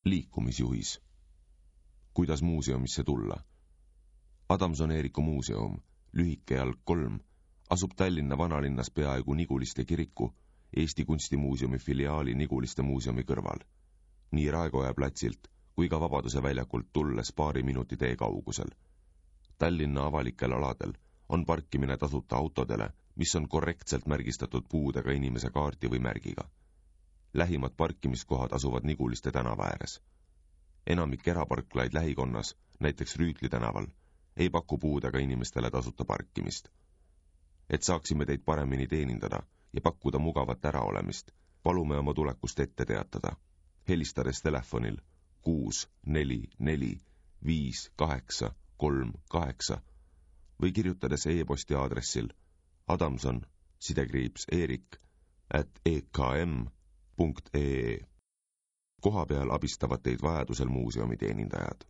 Liikumisjuhis. Kuidas muuseumisse tulla? Adamson-Eeriku muuseum, lühikejalg 3, asub Tallinna vanalinnas peaaegu Niguliste kiriku, Eesti Kunstimuuseumi filiaali Niguliste muuseumi kõrval. Nii Raekoja platsilt kui ka Vabaduse väljakult tulles paari minuti tee kaugusel. Tallinna avalikel aladel on parkimine tasuta autodele, mis on korrektselt märgistatud puudega inimese kaarti või märgiga. Lähimad parkimiskohad asuvad Niguliste tänava ääres. Enamik eraparklaid lähikonnas, näiteks Rüütli tänaval, ei paku puudega inimestele tasuta parkimist. Et saaksime teid paremini teenindada ja pakkuda mugavat äraolemist, palume oma tulekust ette teatada, helistades telefonil 644 5838 või kirjutades e-posti aadressil adamson_erik@ekm.ee. Kohapeal abistavad teid vajadusel muuseumi teenindajad.